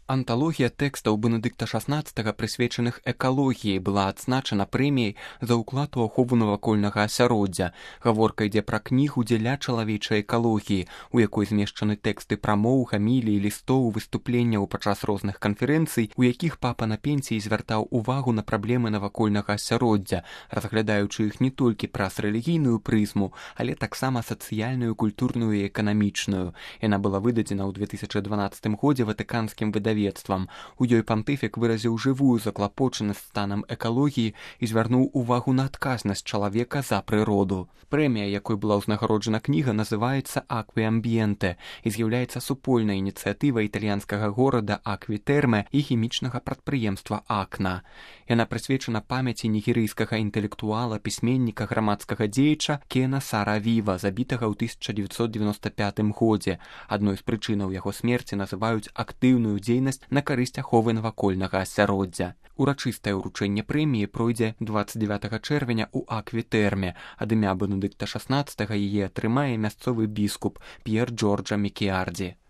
Анталогія тэкстаў Бенедыкта XVI, прысвечаных экалогіі, была адзначана прэміяй за ўклад у ахову навакольнага асяроддзя. Гаворка ідзе пра кнігу дзеля чалавечай экалогіі, у якой змешчаны тэксты прамоў, гамілій, лістоў, выступленняў падчас розных канферэнцый, у якіх папа на пенсіі звяртаў увагу на праблемы навакольнага асяроддзя, разглядаючы іх не толькі праз рэлігійную прызму, але таксама сацыяльную, культурную і эканамічную. Яна была выдадзена ў 2012 годзе ватыканскім выдавецтвам. У ёй пантыфік выразіў жывую заклапочанасць станам экалогіі і звярнуў увагу на адказнасць чалавека за прыроду. Прэмія, якой была ўзнагароджана кніга, называецца «Акві-амбіенте» і з'яўляецца супольнай ініцыятывай італьянскага горада Акві-Тэрме і хімічнага прадпрыемства «Акна». Яна прысвечана памяці нігерыйскага інтэлектуала, пісьменніка, грамадскага дзеяча Кена Сара-Віва, забітага ў 1995 годзе. Адной з прычынаў яго смерці называюць актыўную дзейнасць на карысць аховы навакольнага асяроддзя. Урачыстае ўручэнне прэміі пройдзе 29 чэрвеня ў Акві-Тэрме. Ад імя Бенедыкта XVI яе атрымае мясцовы біскуп П'ер Джорджа Мікіардзі.